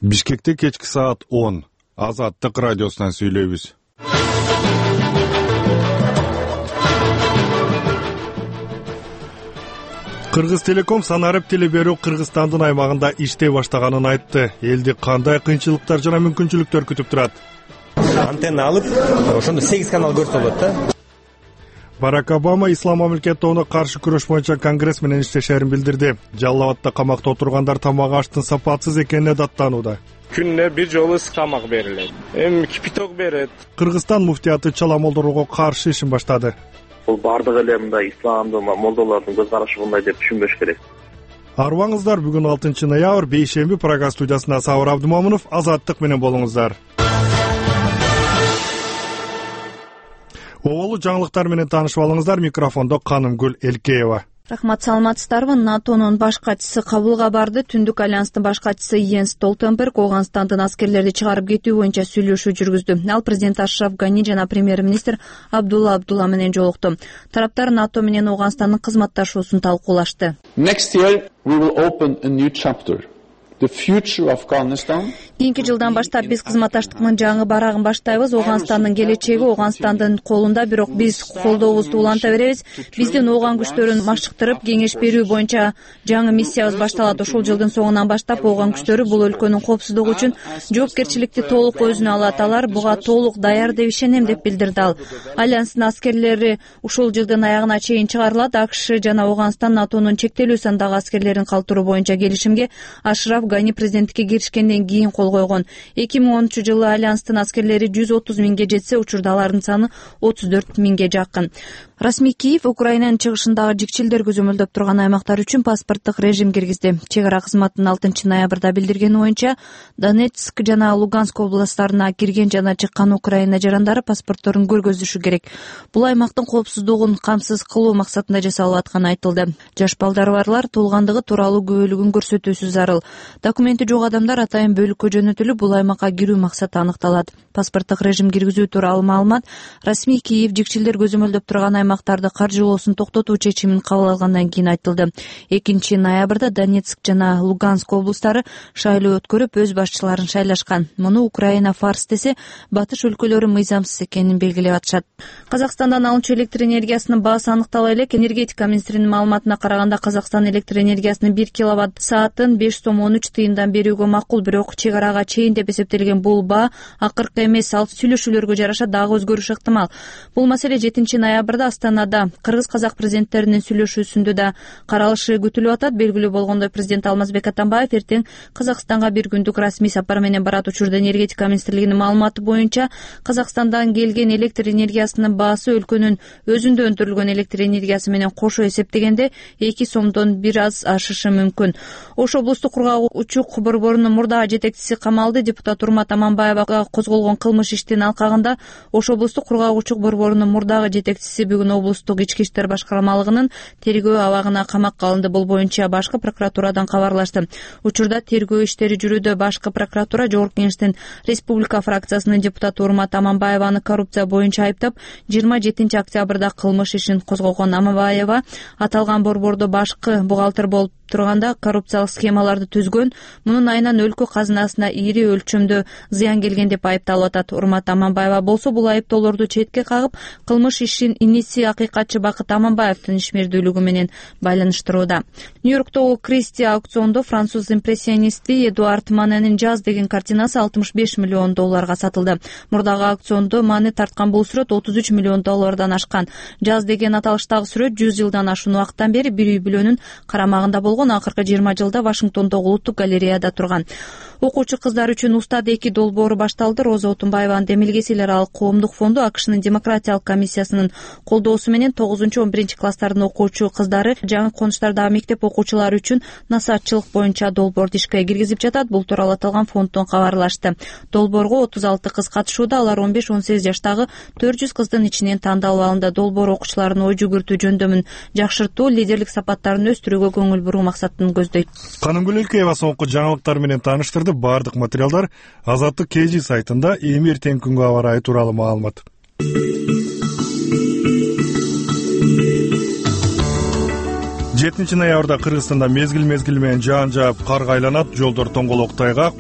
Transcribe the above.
Бишкекте кечки саат 10. Азаттык радиосунан сүйлөйбүз. Кыргыз Телеком санарип теле берүү Кыргызстандын аймагында иштей баштаганын айтты. Элди кандай кыйынчылыктар жана мүмкүнчүлүктөр күтүп турат? Антенна алып, ошондо 8 канал көрсө болот да. Барак Обама ислам мамлекетине каршы күрөш боюнча конгресс менен иштешерин билдирди. Жалал Абадта камакта отургандар тамак аштын сапатсыз экенине даттанууда. Күнүнө бир жолу ысык тамак берилет. Эми кипиток берет. Кыргызстан муфтияты чала молдорууга каршы ишин баштады. Бул бардыгы эле мындай исламдын молдолордун көз карашы мындай деп түшүнбөш керек. Арыбаңыздар, бүгүн 6 ноябрь бейшемби программа студиясында Сабыр Абдымомунов, Азаттык менен болуңуздар. Оболу жаңылыктар менен таанышып алыңыздар. Микрофондо Канымгүл Элкеева. Рахмат, саламатсыздарбы? НАТОнун баш катчысы Кабулга барды. Түндүк альянстын баш катчысы Йенс Столтенберг Ооганстандын аскерлерди чыгарып кетүү боюнча сүйлөшүү жүргүздү. Ал президент Ашраф Гани жана премьер-министр Абдулла менен жолукту. Тараптар НАТО менен Ооганстандын кызматташуусун талкуулашты. Next year we will open a new chapter. The future of Afghanistan. Кийинки жылдан баштап биз кызматташтыктын жаңы барагын баштайбыз. Ооганстандын келечеги Ооганстандын колунда, бирок биз колдообузду уланта беребиз. Биздин Ооган күчтөрүн машыктырып, кеңеш берүү боюнча жаңы миссиябыз башталат. Ушул жылдын соңунан баштап Ооган күчтөрү бул өлкөнүн коопсуздугу үчүн жоопкерчиликти толук өзүнө алат. Алар буга толук даяр деп ишенем, деп билдирди ал. Альянстын аскерлери ушул жылдын аягына чейин чыгарылат. АКШ жана Ооганстан НАТОнун чектелүү сандагы аскерлерин калтыруу боюнча келишимге Ашраф Гани президенттикке киришкенден кийин кол койгон. 2010-жылы альянстын аскерлери 130 миңге жетсе, учурда алардын саны 34 миңге жакын. Расмий Киев Украинанын чыгышындагы жикчилдер көзөмөлдөп турган аймактар үчүн паспорттук режим киргизди. Чек ара кызматынын 6 ноябрда билдиргени боюнча, Донецк жана Луганск областтарына кирген жана чыккан Украина жарандары паспортторун көргөзүшү керек. Бул аймактын коопсуздугун камсыз кылуу максатында жасалып атканы айтылды. Жаш балдары барлар туулгандыгы тууралуу күбөлүгүн көрсөтүүсү зарыл. Документи жок адамдар атайын бөлүккө жөнөтүлүп, бул аймакка кирүү максаты аныкталат. Паспорттук режим киргизүү тууралуу маалымат Расмий Киев жикчилдер көзөмөлдөп турган аймактарды каржылоосун токтотуу чечимин кабыл алгандан кийин айтылды. 2 ноябрда Донецк жана Луганск облустары шайлоо өткөрүп, өз башчыларын шайлашкан. Муну Украина фарс десе, батыш өлкөлөрү мыйзамсыз экенин белгилеп атышат. Казакстандан алынчу электр энергиясынын баасы аныктала элек. Энергетика министринин маалыматына караганда, Казакстан электр энергиясынын 1 киловатт саатын 5,13 тыйындан берүүгө макул, бирок чек арага чейин деп эсептелген бул баа акыркы эмес. Ал сүйлөшүүлөргө жараша дагы өзгөрүшү ыктымал. Бул маселе 7 ноябрда Астанада кыргыз-казак президенттеринин сүйлөшүүсүндө да каралышы күтүлүп атат. Белгилүү болгондой, президент Алмазбек Атамбаев эртең Казакстанга бир күндүк расмий сапар менен барат. Учурда энергетика министрлигинин маалыматы боюнча, Казакстандан келген электр энергиясынын баасы өлкөнүн өзүндө өндүрүлгөн электр энергиясы менен кошо эсептегенде 2 сомдон бир аз ашышы мүмкүн. Ош облустук кургак учук борборунун мурдагы жетекчиси камалды. Депутат Урмат Аманбаевага козголгон кылмыш иштин алкагында Ош облустук кургак учук борборунун мурдагы жетекчиси бүгүн облустук ички иштер башкармалыгынын тергөө абагына камакка алынды. Бул боюнча башкы прокуратурадан кабарлашты. Учурда тергөө иштери жүрүүдө. Башкы прокуратура Жогорку Кеңештин Республика фракциясынын депутаты Урмат Аманбаеваны коррупция боюнча айыптап, 27 октябрда кылмыш ишин козгогон. Аманбаева аталган борбордо башкы бухгалтер болуп турганда коррупциялык схемаларды түзгөн. Мунун айынан өлкө казынасына ири өлчөмдө зыян келген деп айыпталып атат. Урмат Аманбаева болсо бул айыптоолорду четке кагып, кылмыш ишин иниси акыйкатчы Бакыт Аманбаевдин ишмердүүлүгү менен байланыштырууда. Нью-Йорктогу Кристи аукциондо француз импрессионисти Эдуард Маненин «Жаз» деген картинасы $65 миллион сатылды. Мурдагы аукциондо Мане тарткан бул сүрөт $33 миллион ашкан. «Жаз» деген аталыштагы сүрөт 100 жылдан ашуун убакыттан бери бир үй бүлөнүн карамагында болгон. Акыркы 20 жылда Вашингтондогу улуттук галереяда турган. Окуучу кыздар үчүн Устат 2 долбоору башталды. Роза Отунбаеванын Демилгесилер алык коомдук фонду АКШнын демократиялык комиссиясынын колдоосу менен 9-11 класстардын окуучу кыздары жаңы конуштардагы мектеп окуучулары үчүн насаатчылык боюнча долбоорду ишке киргизип жатат. Бул тууралуу аталган фонддон кабарлашты. Долбоорго 36 кыз катышууда. Алар 15-18 жаштагы 400 кыздын ичинен тандалып алынды. Долбоор окуучулардын ой жүгүртүү жөндөмүн жакшыртуу, лидерлик сапаттарын өстүрүүгө көңүл буруу максатын көздөйт. Канымгүл Элкеева соңку жаңылыктар менен тааныштырды. Бардык материалдар Азаттык KG сайтында. Эми эртең күнгө аба ырайы тууралуу маалымат. 7 ноябрда Кыргызстанда мезгил менен жаан жаап, карга айланат, жолдор тоңголок тайгак.